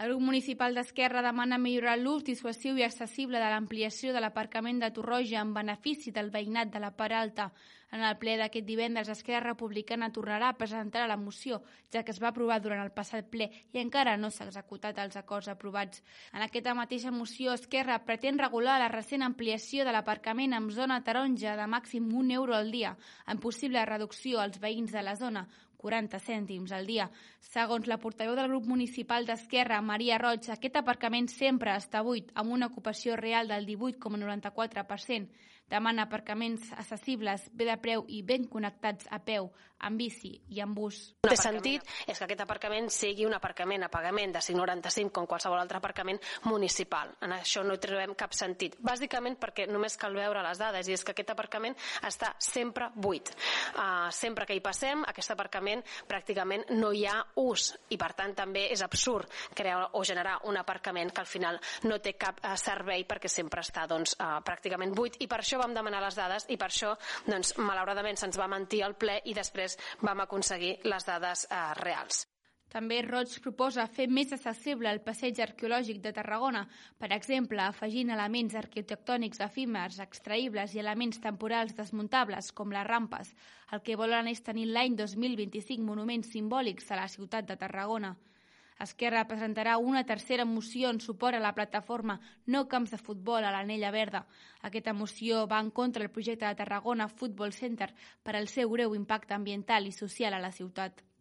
El grup municipal d'Esquerra demana millorar l'ús dissuasiu i accessible de l'ampliació de l'aparcament de Torroja en benefici del veïnat de la Part Alta. En el ple d'aquest divendres, Esquerra Republicana tornarà a presentar la moció, ja que es va aprovar durant el passat ple i encara no s'ha executat els acords aprovats. En aquesta mateixa moció, Esquerra pretén regular la recent ampliació de l'aparcament en zona taronja de màxim €1 al dia, amb possible reducció als veïns de la zona, 40 cèntims al dia. Segons la portaveu del grup municipal d'Esquerra, Maria Roig, aquest aparcament sempre està buit, amb una ocupació real del 18,94%. Demana aparcaments accessibles, bé de preu i ben connectats a peu, amb bici i amb bus. El que té sentit és que aquest aparcament sigui un aparcament a pagament de 5,95 com qualsevol altre aparcament municipal. En això no hi trobem cap sentit. Bàsicament perquè només cal veure les dades i és que aquest aparcament està sempre buit. Sempre que hi passem, aquest aparcament pràcticament no hi ha ús i per tant també és absurd crear o generar un aparcament que al final no té cap servei perquè sempre està pràcticament buit i per això vam demanar les dades i per això malauradament se'ns va mentir al ple i després vam aconseguir les dades reals. També Roig proposa fer més accessible el passeig arqueològic de Tarragona, per exemple, afegint elements arquitectònics efímers, extraïbles i elements temporals desmuntables, com les rampes. El que volen és tenir l'any 2025 monuments simbòlics a la ciutat de Tarragona. Esquerra presentarà una tercera moció en suport a la plataforma No Camps de Futbol a l'Anella Verda. Aquesta moció va en contra del projecte de Tarragona Football Center per al seu greu impacte ambiental i social a la ciutat.